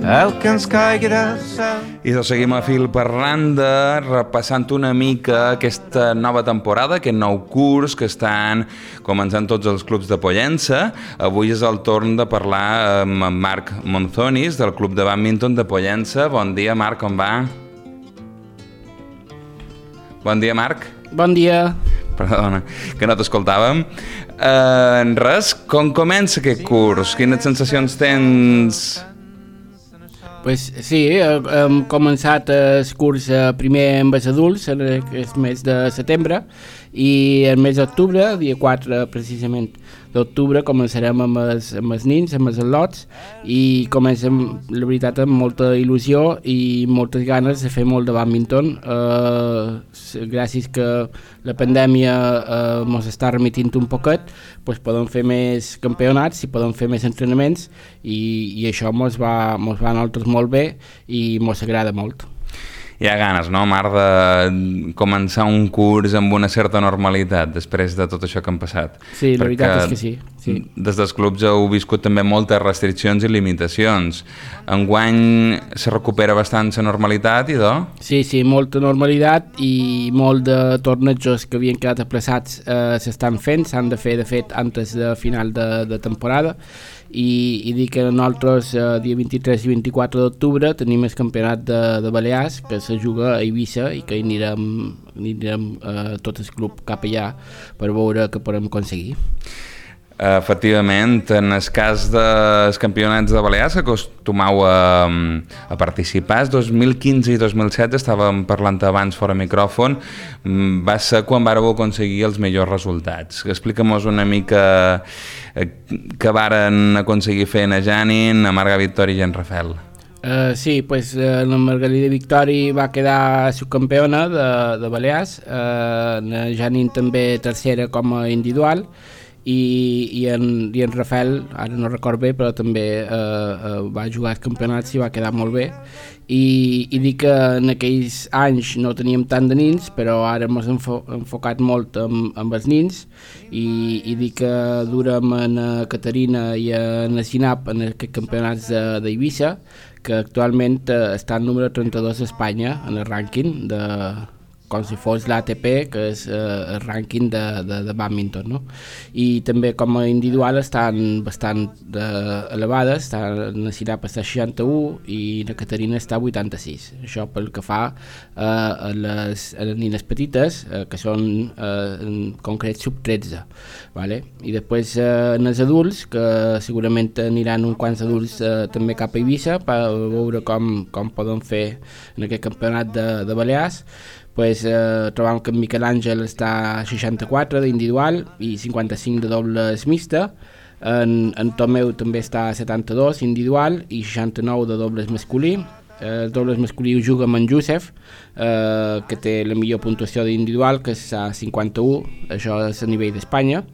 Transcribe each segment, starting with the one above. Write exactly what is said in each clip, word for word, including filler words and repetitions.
el que ens caigui del cel. I doncs seguim a fil per randa, repassant una mica aquesta nova temporada, aquest nou curs que estan començant tots els clubs de Pollença. Avui és el torn de parlar amb en Marc Monzonis, del Club de Bàdminton de Pollença. Bon dia, Marc, com va? Bon dia, Marc. Bon dia. Perdona, que no t'escoltàvem. Uh, en res, com comença aquest curs? Quines sensacions tens? Pues sí, hem començat el curs primer amb els adults en aquest mes de setembre i el mes d'octubre, dia quatre precisament d'octubre, començarem amb els, amb els nins, amb els al·lots, i comencem, la veritat, amb molta il·lusió i moltes ganes de fer molt de bàdminton. Eh, gràcies que la pandèmia eh, ens està remitint un poquet, pues podem fer més campionats i podem fer més entrenaments i, i això ens va, ens va a nosaltres molt bé i ens agrada molt. Hi ha ganes, no, Marc, de començar un curs amb una certa normalitat després de tot això que han passat? Sí, la veritat és que sí. sí. Des dels clubs heu viscut també moltes restriccions i limitacions. Enguany se recupera bastant la normalitat, i do? Sí, sí, molta normalitat i molt de tornejos que havien quedat aplaçats eh, s'estan fent, s'han de fer, de fet, antes de final de, de temporada. I, i dir que nosaltres eh, dia vint-i-tres i vint-i-quatre d'octubre tenim el campionat de, de Balears que se juga a Eivissa i que anirem, anirem eh, tot el club cap allà per veure què podem aconseguir. Efectivament, en el cas dels campionats de Balears acostumau a, a participar. El dos mil quinze i dos mil setze estàvem parlant abans fora micròfon, va ser quan vàreu aconseguir els millors resultats. Explica'm-nos una mica què varen aconseguir fer a Janin, a Marga Victori i en Rafael. Uh, sí, pues, uh, la Margalida Victori va quedar subcampeona de, de Balears, uh, la Janin també tercera com a individual, i, i, en, i en Rafael, ara no record bé, però també eh, eh, va jugar als campionats i va quedar molt bé. I, i dic que en aquells anys no teníem tant de nins, però ara hem enfo enfocat molt amb, amb els nins, i, i dic que durem en Caterina i en Sinap en aquests campionats d'Eivissa, que actualment eh, està al número trenta-dos d'Espanya en el rànquing de... com si fos l'A T P, que és eh, el rànquing de, de, de bàdminton, no? I també com a individual estan bastant eh, elevades, està, la Sinap està a seixanta-u i la Caterina està a vuitanta-sis. Això pel que fa eh, a, les, a les nines petites, eh, que són eh, en concret sub tretze. Vale? I després eh, en els adults, que segurament aniran uns quants adults eh, també cap a Eivissa per veure com, com poden fer en aquest campionat de, de Balears. Pues, eh, trobam que en Miquel Àngel està a seixanta-quatre d'individual i cinquanta-cinc de dobles mixta, en, en Tomeu també està a setanta-dos individual i seixanta-nou de dobles masculí. Eh, els dobles masculí ho juga amb en Josef, eh, que té la millor puntuació d'individual, que és a cinquanta-u, això és a nivell d'Espanya.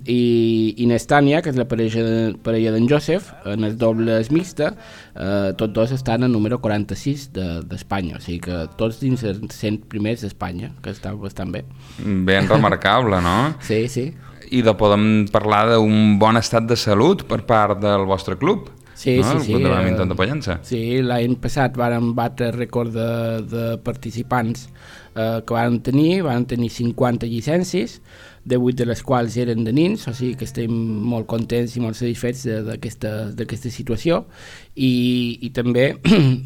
i, i Nestània, que és la parella, de, parella d'en Josef, en els dobles mixta, eh, tots dos estan al número quaranta-sis d'Espanya, de, o sigui que tots dins els cent primers d'Espanya, que està bastant bé. Ben remarcable, no? Sí, sí. I de podem parlar d'un bon estat de salut per part del vostre club. Sí, no? sí, el sí. Club de Bàdminton de Pollença. Sí, l'any passat vàrem batre rècord de, de participants eh, que varen tenir, varen tenir cinquanta llicències, divuit de les quals eren de nins, o sigui que estem molt contents i molt satisfets d'aquesta situació, i, i també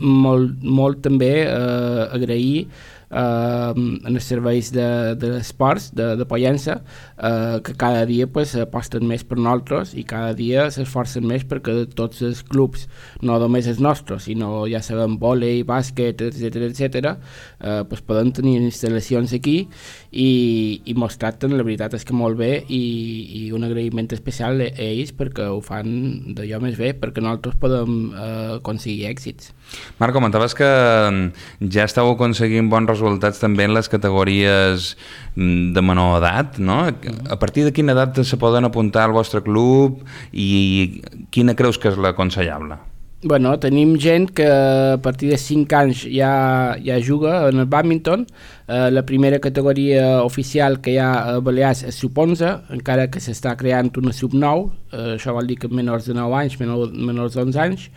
molt, molt també eh, agrair Uh, en els serveis de, de esports de, de Pollença, uh, que cada dia pues, aposten més per nosaltres i cada dia s'esforcen més perquè tots els clubs, no només els nostres, sinó ja sabem vòlei, bàsquet, etcètera, etcètera, uh, pues, poden tenir instal·lacions aquí i, i mos tracten, la veritat és que molt bé, i, i un agraïment especial a ells perquè ho fan d'allò més bé, perquè nosaltres podem uh, aconseguir èxits. Marc, comentaves que ja estàu aconseguint bons resultats també en les categories de menor edat, no? A partir de quina edat se poden apuntar al vostre club i quina creus que és l'aconsellable? Bueno, tenim gent que a partir de cinc anys ja, ja juga en el bàdminton. Uh, la primera categoria oficial que hi ha a Balears és sub onze, encara que s'està creant una sub nou, uh, això vol dir que menors de nou anys, menors, menors d'onze anys,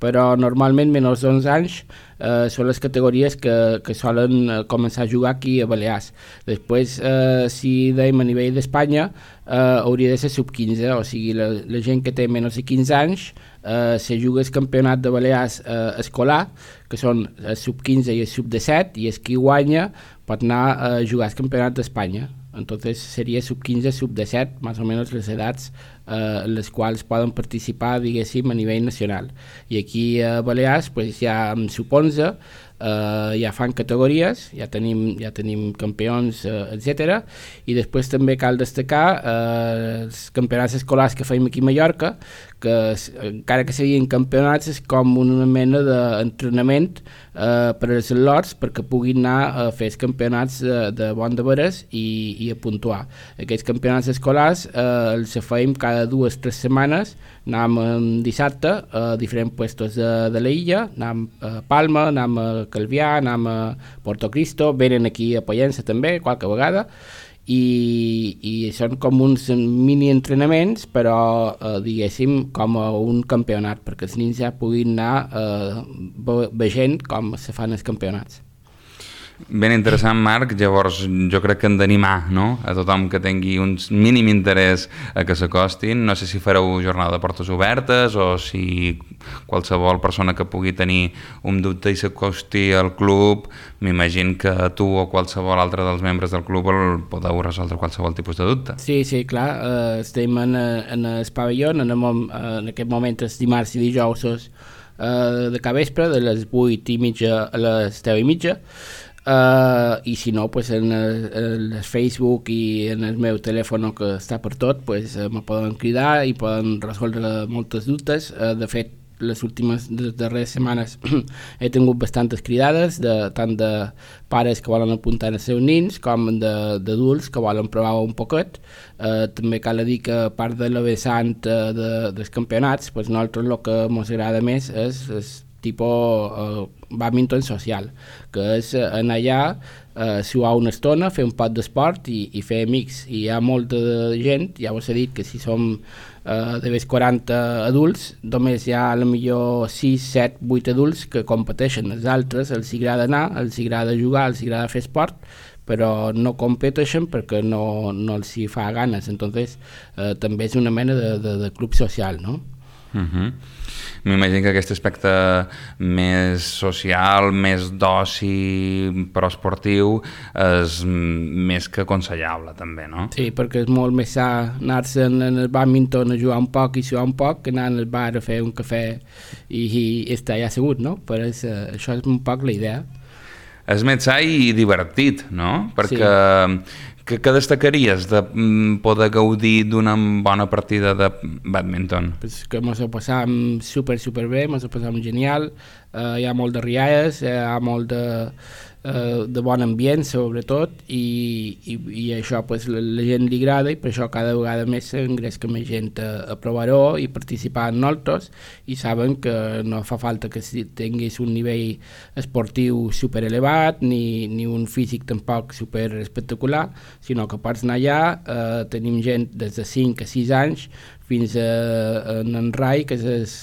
però normalment menors d'onze anys uh, són les categories que, que solen uh, començar a jugar aquí a Balears. Després, uh, si dèiem a nivell d'Espanya, uh, hauria de ser sub quinze, o sigui, la, la gent que té menys de quinze anys Uh, se juga el campionat de Balears uh, escolar, que són el sub quinze i el sub disset, i el qui guanya pot anar a jugar al campionat d'Espanya. Entonces seria sub quinze, sub disset, més o menys les edats eh, en les quals poden participar, diguéssim, a nivell nacional. I aquí a Balears pues, ja amb sub onze eh, ja fan categories, ja tenim, ja tenim campions, eh, etcètera. I després també cal destacar eh, els campionats escolars que feim aquí a Mallorca, que encara que siguin campionats és com una mena d'entrenament eh, per als al·lots perquè puguin anar a fer els campionats de, de bon de veres i, i a puntuar. Aquests campionats escolars eh, els feim cada dues o tres setmanes, anàvem dissabte a diferents puestos de, de la illa, anàvem a Palma, anàvem a Calvià, anàvem a Porto Cristo, venen aquí a Pollença també qualque vegada, i, i són com uns mini entrenaments però eh, diguéssim com a un campionat perquè els nens ja puguin anar eh, veient com se fan els campionats. Ben interessant, Marc. Llavors jo crec que hem d'animar, no?, a tothom que tingui un mínim interès a que s'acostin. No sé si fareu jornada de portes obertes o si qualsevol persona que pugui tenir un dubte i s'acosti al club, m'imagino que tu o qualsevol altre dels membres del club el podeu resoldre qualsevol tipus de dubte. Sí, sí, clar. Uh, estem en, en el pavelló, en, el, en aquest moment els dimarts i dijous uh, de cada vespre, de les vuit i mitja a les deu i mitja. Uh, i si no, pues en el, el Facebook i en el meu telèfon que està per tot, pues, uh, me poden cridar i poden resoldre moltes dubtes. Uh, de fet, les últimes les darreres setmanes he tingut bastantes cridades, de, tant de pares que volen apuntar els seus nins com d'adults que volen provar un poquet. Uh, també cal dir que a part de la vessant uh, de, dels campionats, pues, nosaltres el que ens agrada més és, és tipus uh, bàdminton social, que és anar allà, uh, suar una estona, fer un pot d'esport i, i fer amics. I hi ha molta gent, ja us he dit que si som uh, de més quaranta adults, només hi ha a la millor sis, set, vuit adults que competeixen. Els altres els agrada anar, els agrada jugar, els agrada fer esport, però no competeixen perquè no, no els hi fa ganes. Entonces uh, també és una mena de, de, de club social, no? Uh-huh. M'imagino que aquest aspecte més social, més d'oci però esportiu és més que aconsellable també, no? Sí, perquè és molt més sa anar-se'n en el bàdminton a jugar un poc i suar un poc que anar al bar a fer un cafè i, i estar allà assegut, no? Però és, això és un poc la idea. És més sa i divertit, no? Perquè sí. Que, que destacaries de poder gaudir d'una bona partida de bàdminton? Pues que ens ho passam super, super bé, ens ho passam genial, uh, hi ha molt de rialles, hi ha molt de, uh, de bon ambient, sobretot, i, i, i això pues, la, la gent li agrada i per això cada vegada més s'engresca més gent a, a provar-ho i participar en nosaltres i saben que no fa falta que tinguis un nivell esportiu super elevat ni, ni un físic tampoc super espectacular, sinó que pots anar allà, eh, tenim gent des de cinc a sis anys fins a, a en Rai, que és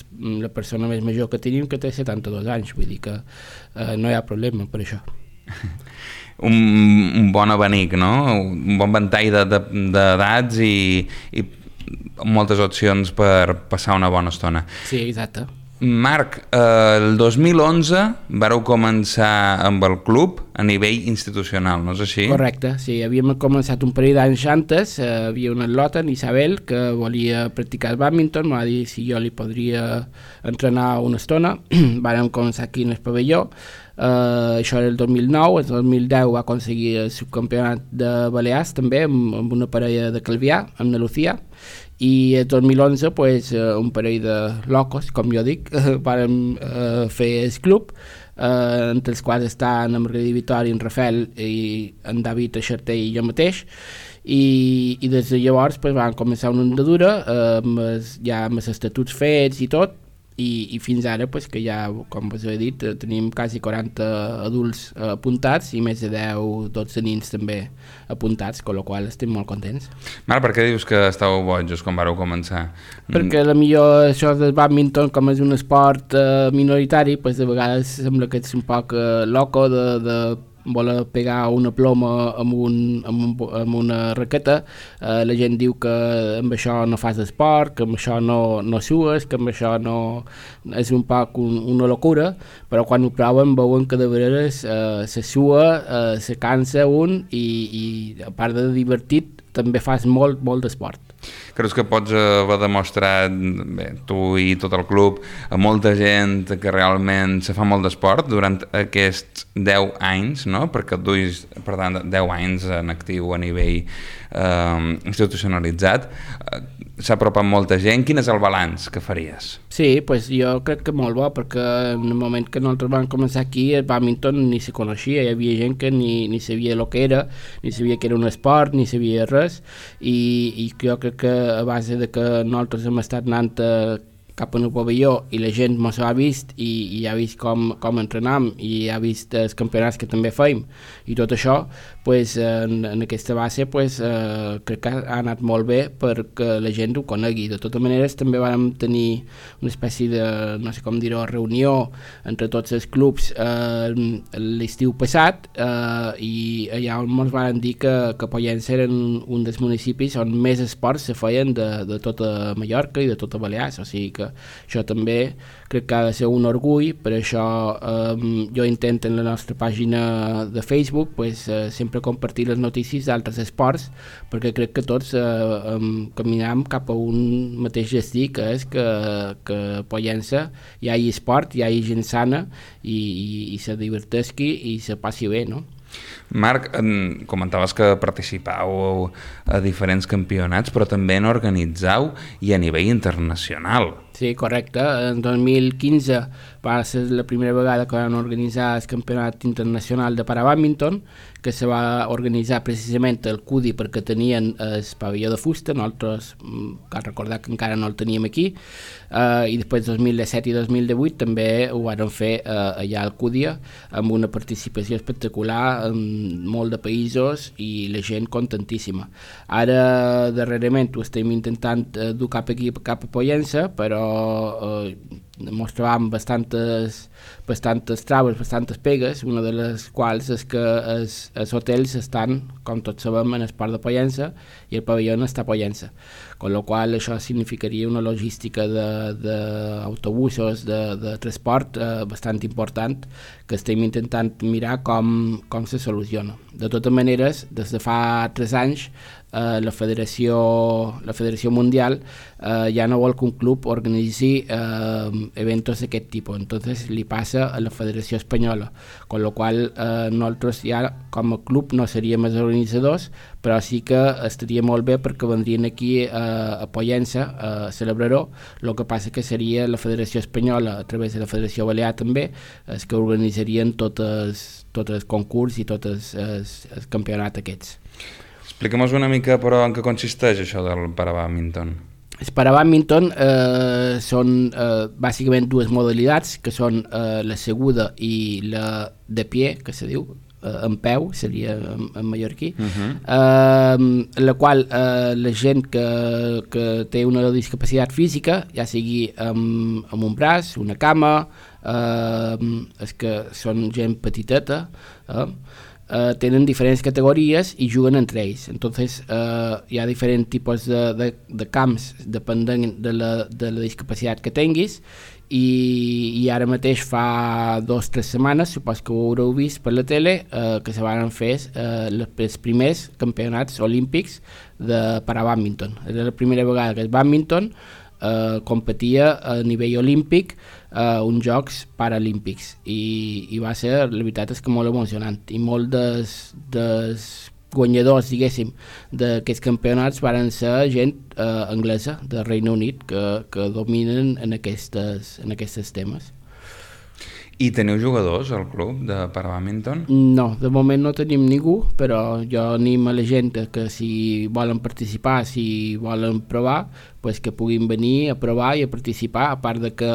la persona més major que tenim, que té setanta-dos anys, vull dir que eh, no hi ha problema per això. Un, un bon abanic, no? Un bon ventall d'edats de, de, i, i moltes opcions per passar una bona estona. Sí, exacte. Marc, eh, el dos mil onze vareu començar amb el club a nivell institucional, no és així? Correcte, sí, havíem començat un parell d'anys antes, eh, havia una lota, en Isabel, que volia practicar el bàdminton, m'ha dit si jo li podria entrenar una estona, vàrem començar aquí en el pavelló, eh, això era el dos mil nou, el dos mil deu va aconseguir el subcampionat de Balears també, amb, amb una parella de Calvià, amb la Lucía, i el dos mil onze pues, un parell de locos, com jo dic, vàrem uh, fer el club, uh, entre els quals estan en Margarida Vitori, en Rafael i en David Aixerter i jo mateix, i, i des de llavors pues, vam començar una andadura, uh, amb els, ja amb els estatuts fets i tot, i, i fins ara pues, que ja, com us he dit, tenim quasi quaranta adults eh, apuntats i més de deu dotze nins també apuntats, amb la qual estem molt contents. Marc, per què dius que estàveu bojos quan vareu començar? Perquè la millor això del bàdminton, com és un esport eh, minoritari, pues, de vegades sembla que ets un poc eh, loco de, de voler pegar una ploma amb, un, amb, un, amb una raqueta. Eh, la gent diu que amb això no fas esport, que amb això no, no sues, que amb això no és un poc un, una locura, però quan ho proven veuen que de vegades eh, se sua, eh, se cansa un i, i a part de divertit també fas molt, molt d'esport. Creus que pots haver demostrat, bé, tu i tot el club, a molta gent que realment se fa molt d'esport durant aquests deu anys, no? Perquè et duis, per tant, deu anys en actiu a nivell eh, institucionalitzat. S'ha apropat molta gent. Quin és el balanç que faries? Sí, pues jo crec que molt bo, perquè en el moment que nosaltres vam començar aquí el bàdminton ni se coneixia, hi havia gent que ni, ni sabia el que era, ni sabia que era un esport, ni sabia res, i, i jo crec que a base de que nosaltres hem estat anant a cap en el pavelló i la gent mos ha vist i, i ha vist com, com entrenam i ha vist els campionats que també feim i tot això, pues, en, en aquesta base pues, eh, crec que ha anat molt bé perquè la gent ho conegui. De totes maneres també vam tenir una espècie de, no sé com dir-ho, reunió entre tots els clubs eh, l'estiu passat eh, i allà on ens van dir que, que Pollença eren un dels municipis on més esports se feien de, de tota Mallorca i de tota Balears, o sigui que això també crec que ha de ser un orgull. Per això eh, jo intento en la nostra pàgina de Facebook pues, eh, sempre compartir les notícies d'altres esports, perquè crec que tots eh, eh, caminam cap a un mateix destí, que és que, que a Pollença hi hagi esport, hi hagi gent sana i, i, i se divertisqui i se passi bé, no? Marc, comentaves que participàveu a diferents campionats, però també n'organitzau i a nivell internacional. Sí, correcte. En dos mil quinze va ser la primera vegada que van organitzar el Campionat Internacional de Parabàdminton, que se va organitzar precisament al C U D I perquè tenien el pavelló de fusta, nosaltres cal recordar que encara no el teníem aquí, eh, i després dos mil disset i dos mil divuit també ho van fer eh, allà al C U D I amb una participació espectacular en molt de països i la gent contentíssima. Ara darrerament ho estem intentant eh, dur cap aquí, cap a Pollença, però eh, ens trobam bastantes, bastantes traves, bastantes pegues, una de les quals és que els, els hotels estan, com tots sabem, en el port de Pollença i el pavelló no està a Pollença, amb la qual això significaria una logística d'autobusos, de, de, de transport eh, bastant important, que estem intentant mirar com, com se soluciona. De totes maneres, des de fa tres anys Uh, la Federació la Federació Mundial uh, ja no vol que un club organitzi uh, eventos d'aquest tipus, entonces li passa a la Federació Espanyola, con lo qual uh, nosaltres ja com a club no seríem els organitzadors, però sí que estaria molt bé perquè vendrien aquí uh, a Pollença a celebrar-ho. El que passa que seria la Federació Espanyola a través de la Federació Balear també els que organitzarien tot el, tot el concurs i tot el, el, el campionat aquests. Explica'm-nos una mica, però, en què consisteix això del parabàdminton. El parabàdminton eh, són eh, bàsicament dues modalitats, que són eh, la seguda i la de pie, que se diu, eh, en peu, seria en, en mallorquí, uh-huh. eh, la qual eh, la gent que, que té una discapacitat física, ja sigui amb, amb un braç, una cama, eh, és que són gent petiteta, eh, Uh, tenen diferents categories i juguen entre ells. Entonces uh, hi ha diferents tipus de, de, de camps depenent de la, de la discapacitat que tinguis i, i ara mateix fa dos o tres setmanes, supos que ho haureu vist per la tele, uh, que se van fer uh, els primers campionats olímpics de parabàdminton. Era la primera vegada que el bàdminton Uh, competia a nivell olímpic uh, uns Jocs Paralímpics i, i va ser, la veritat és que molt emocionant, i molt dels, dels guanyadors, diguéssim, d'aquests campionats varen ser gent uh, anglesa del Regne Unit que, que dominen en, aquestes, en aquests temes. I teniu jugadors al club de parabàdminton? No, de moment no tenim ningú, però jo animo a la gent que si volen participar, si volen provar, pues que puguin venir a provar i a participar, a part de que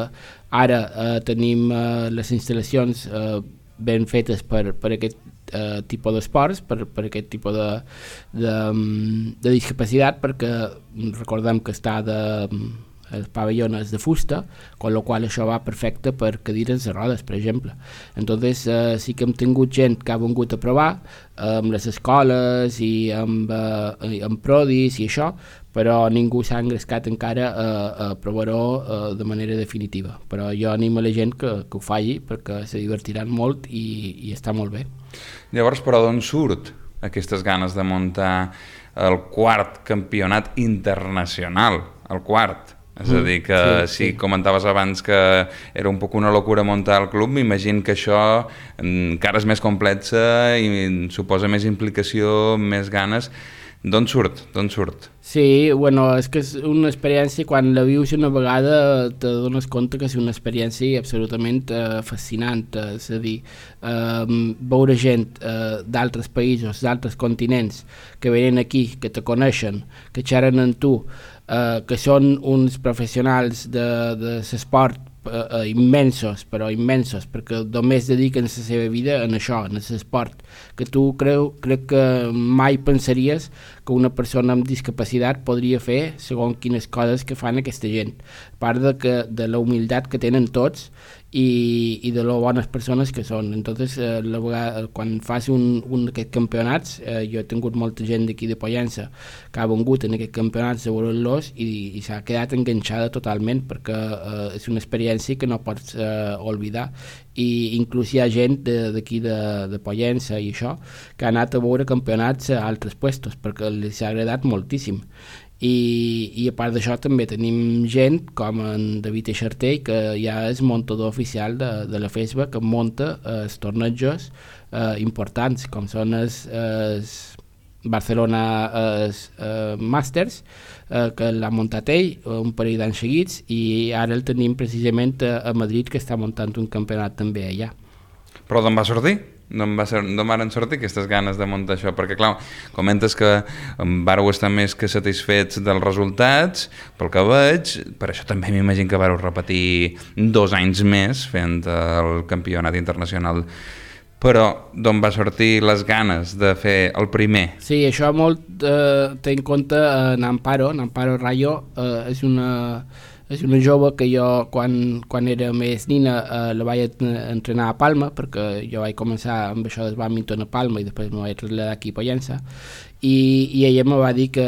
ara eh, tenim eh, les instal·lacions eh, ben fetes per, per aquest eh, tipus d'esports, per, per aquest tipus de, de, de discapacitat, perquè recordem que està de... el pavelló és de fusta, con lo qual això va perfecte per cadires de rodes, per exemple. Entonces eh, sí que hem tingut gent que ha vingut a provar eh, amb les escoles i amb, eh, amb prodis i això, però ningú s'ha engrescat encara a, a provar-ho eh, de manera definitiva. Però jo animo a la gent que, que ho faci perquè se divertiran molt i, i està molt bé. Llavors, però d'on surt aquestes ganes de muntar el quart campionat internacional? El quart? És a dir, que sí, sí. si comentaves abans que era un poc una locura muntar el club, m'imagino que això encara és més complexa i suposa més implicació, més ganes. D'on surt? D'on surt? Sí, bueno, és que és una experiència, quan la vius una vegada te dones compte que és una experiència absolutament eh, fascinant, és a dir, eh, veure gent eh, d'altres països, d'altres continents, que venen aquí, que te coneixen, que xerren amb tu, eh, que són uns professionals de, de l'esport uh, immensos, però immensos, perquè només dediquen la seva vida en això, en l'esport, que tu creu, crec que mai pensaries que una persona amb discapacitat podria fer segons quines coses que fan aquesta gent, a part de, que, de la humilitat que tenen tots i, i de lo bones persones que són. Entonces, eh, la vegada, quan fas un, un d'aquests campionats, eh, jo he tingut molta gent d'aquí de Pollença que ha vengut en aquests campionats a veure-los i, i s'ha quedat enganxada totalment, perquè eh, és una experiència que no pots eh, oblidar, i inclús hi ha gent d'aquí de, de, de Pollença i això que ha anat a veure campionats a altres puestos perquè els ha agradat moltíssim. I, i a part d'això també tenim gent com en David Eixartell, que ja és muntador oficial de, de la FESBA, que munta els tornejos eh, importants com són els, els Barcelona els, eh, Masters, eh, que l'ha muntat ell un parell d'anys seguits, i ara el tenim precisament a, a Madrid, que està muntant un campionat també allà. Però d'on va sortir? D'on va ser, d'on van sortir aquestes ganes de muntar això? Perquè clar, comentes que vareu estar més que satisfets dels resultats, pel que veig, per això també m'imagino que vareu repetir dos anys més fent el campionat internacional. Però d'on va sortir les ganes de fer el primer? Sí, això molt eh, té en compte en Amparo, en Amparo Rayo, eh, és una... És una jove que jo, quan, quan era més nina, eh, la vaig entrenar a Palma, perquè jo vaig començar amb això del bàdminton a Palma i després me vaig traslladar aquí a Pollença, i, i ella me va dir que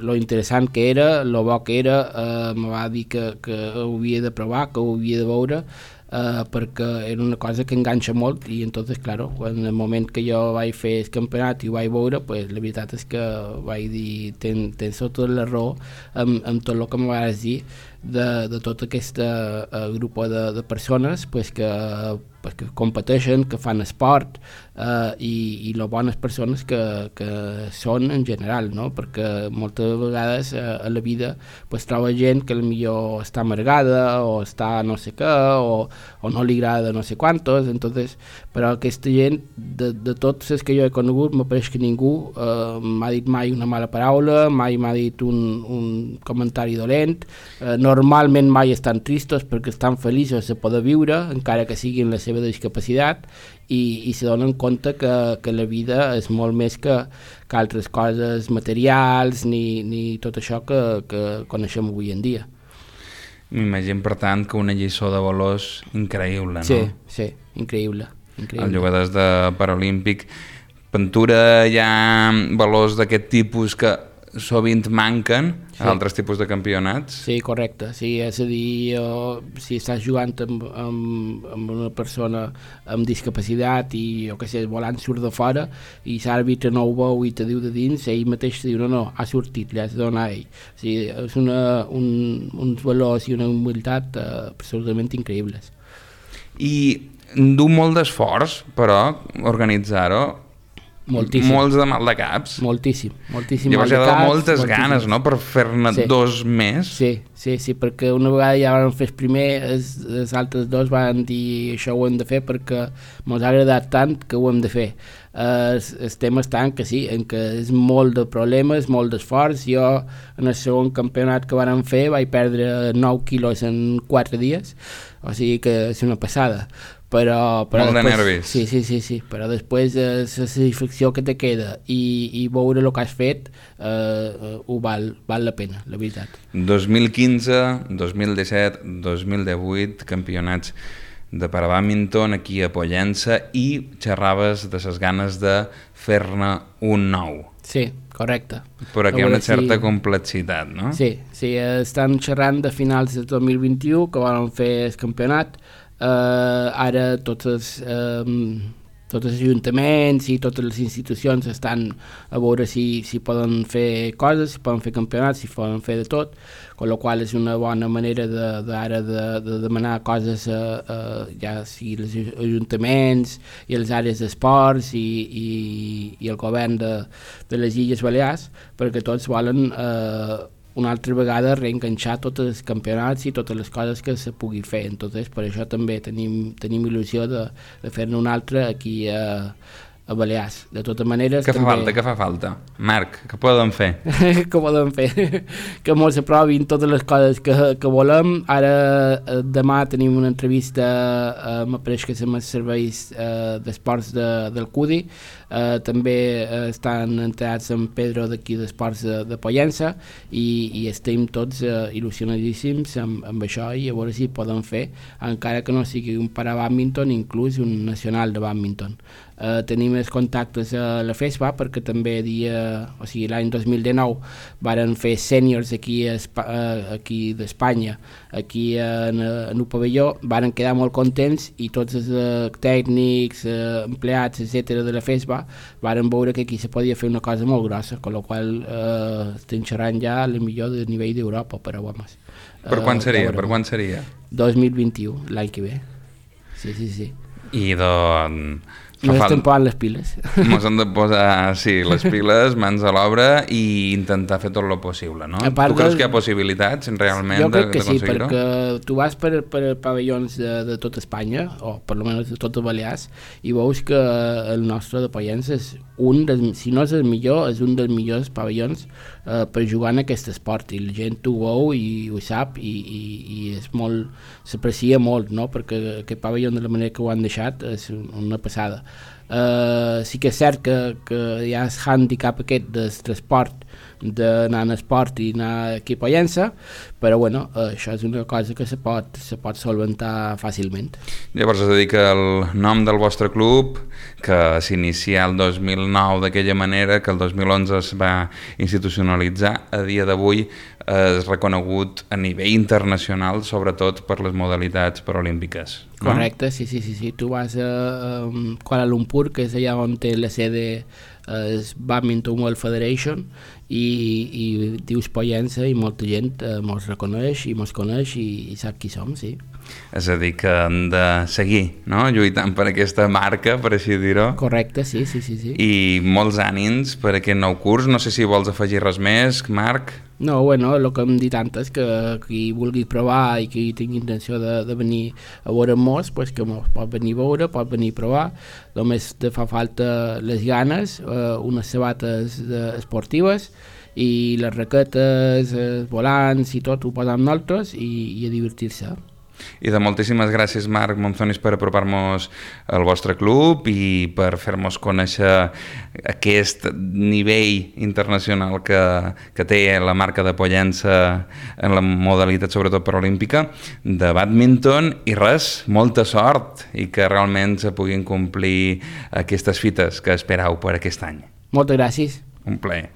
lo interessant que era, lo bo que era, eh, me va dir que, que ho havia de provar, que ho havia de veure, Uh, perquè era una cosa que enganxa molt, i entonces, claro, en el moment que jo vaig fer el campionat i ho vaig veure, pues, la veritat és que vaig dir, ten, tens tota la raó amb, amb tot el que em vas dir de, de tot aquest uh, grup de, de persones pues, que, pues, que competeixen, que fan esport, uh, i, i les bones persones que, que són en general, no? Perquè moltes vegades uh, a la vida pues, troba gent que potser està amargada o està no sé què, o o no li agrada no sé quantos, entonces, però aquesta gent, de, de tots els que jo he conegut, m'apareix que ningú eh, m'ha dit mai una mala paraula, mai m'ha dit un, un comentari dolent, eh, normalment mai estan tristos perquè estan feliços de poder viure, encara que siguin la seva discapacitat, i, i se donen compte que, que la vida és molt més que, que altres coses materials, ni, ni tot això que, que coneixem avui en dia. M'imagino, per tant, que una lliçó de valors increïble, no? Sí, sí, increïble. increïble. Els jugadors de Paralímpic. Pintura, hi ha valors d'aquest tipus que sovint manquen sí. a altres tipus de campionats? Sí, correcte. Sí, és a dir, jo, si estàs jugant amb, amb, amb una persona amb discapacitat i, jo què sé, el volant surt de fora i l'àrbitre no ho veu i te diu de dins, ell mateix te diu, no, no, ha sortit, li has de donar a ell. O sigui, és una, un, uns valors i una humilitat eh, absolutament increïbles. I du molt d'esforç, però, organitzar-ho. Moltíssim. molts de mal de caps. Moltíssim, moltíssim Llavors mal hi de ha caps. moltes moltíssim. ganes, no?, per fer-ne Sí. dos més. Sí, sí, sí, perquè una vegada ja vam fer el primer, els, els altres dos van dir això ho hem de fer perquè ens ha agradat tant que ho hem de fer. Uh, el, el tema està en que sí, en que és molt de problemes, molt d'esforç. Jo en el segon campionat que vam fer vaig perdre nou quilos en quatre dies, o sigui que és una passada. Però, però Molt de després, nervis. Sí, sí, sí, sí, però després eh, la satisfacció que te queda i, i veure el que has fet eh, eh, ho val, val la pena, la veritat. dos mil quinze, dos mil disset, dos mil divuit, campionats de parabàdminton aquí a Pollença, i xerraves de les ganes de fer-ne un nou. Sí, correcte. Però aquí hi ha A una veure certa si- complexitat, no? Sí, sí, eh, estan xerrant de finals de dos mil vint-i-u que van fer el campionat. Uh, ara tots els, um, tots els ajuntaments i totes les institucions estan a veure si, si poden fer coses, si poden fer campionats, si poden fer de tot, amb la qual és una bona manera de, de, ara de, de demanar coses a, a, ja sigui els ajuntaments i les àrees d'esports i, i, i el govern de, de les Illes Balears, perquè tots volen eh, una altra vegada reenganxar tots els campionats i totes les coses que se pugui fer. Entonces, per això també tenim, tenim il·lusió de, de fer-ne un altre aquí a, a Balears. De totes maneres... Què fa també... falta, què fa falta? Marc, què podem fer? que podem fer? Que ens aprovin totes les coses que, que volem. Ara, eh, demà tenim una entrevista eh, m'apareix que som els serveis eh, d'esports de, del C U D I. Uh, també uh, estan entrats en Pedro d'aquí d'Esports de, de Pollença i, i estem tots uh, il·lusionadíssims amb, amb això i a veure si poden fer, encara que no sigui un parabàdminton, inclús un nacional de bàdminton. Uh, tenim els contactes a la FESPA perquè també dia, o sigui, l'any dos mil dinou varen fer sèniors aquí, a Espa, uh, aquí d'Espanya, aquí en, en un pavelló, varen quedar molt contents i tots els uh, tècnics, uh, empleats, etcètera de la FESPA varen veure que aquí se podia fer una cosa molt grossa, amb la qual eh, estem xerrant ja a la millor de nivell d'Europa, però vamos. Per quan Eh, seria? ja Per quan seria? dos mil vint-i-u, l'any que ve. Sí, sí, sí. I doncs... No estem posant les piles. Ens hem de posar, sí, les piles, mans a l'obra i intentar fer tot el possible, no? Tu creus del... que hi ha possibilitats, realment, jo crec que sí, d'aconseguir-ho? perquè tu vas per, per pavellons de, de tota Espanya, o per almenys de totes Balears, i veus que el nostre de Pollença és un dels, si no és el millor, és un dels millors pavellons eh, per jugar en aquest esport, i la gent ho veu i ho sap, i, i, i és molt, s'aprecia molt, no? Perquè aquest pavellon de la manera que ho han deixat és una passada. Uh, sí que és cert que, que hi ha el handicap aquest del transport, d'anar en esport i anar aquí a Pollença, però bueno, uh, això és una cosa que se pot, se pot solventar fàcilment. Llavors es dedica el nom del vostre club, que s'inicia el dos mil nou d'aquella manera, que el dos mil onze es va institucionalitzar, a dia d'avui és reconegut a nivell internacional, sobretot per les modalitats paralímpiques. No? Correcte, sí, sí, sí, sí. Tu vas a, a Kuala Lumpur, que és allà on té la sede el Badminton World Federation, i, i dius Pollença i molta gent eh, mos reconeix i mos coneix i, i sap qui som, sí. És a dir, que hem de seguir, no?, lluitant per aquesta marca, per així dir-ho. Correcte, sí, sí, sí, sí. I molts ànims per aquest nou curs. No sé si vols afegir res més, Marc. No, bueno, el que hem dit antes, que qui vulgui provar i qui tingui intenció de, de venir a veure-nos, pues que mos pot venir a veure, pot venir a provar. Només te fa falta les ganes, eh, unes sabates eh, esportives i les raquetes, els volants i tot ho posam nosaltres i, i a divertir-se. I de moltíssimes gràcies, Marc Monzonis, per apropar-nos al vostre club i per fer-nos conèixer aquest nivell internacional que, que té la marca de Pollença en la modalitat, sobretot paralímpica, de bàdminton. I res, molta sort i que realment se puguin complir aquestes fites que esperau per aquest any. Moltes gràcies. Un plaer.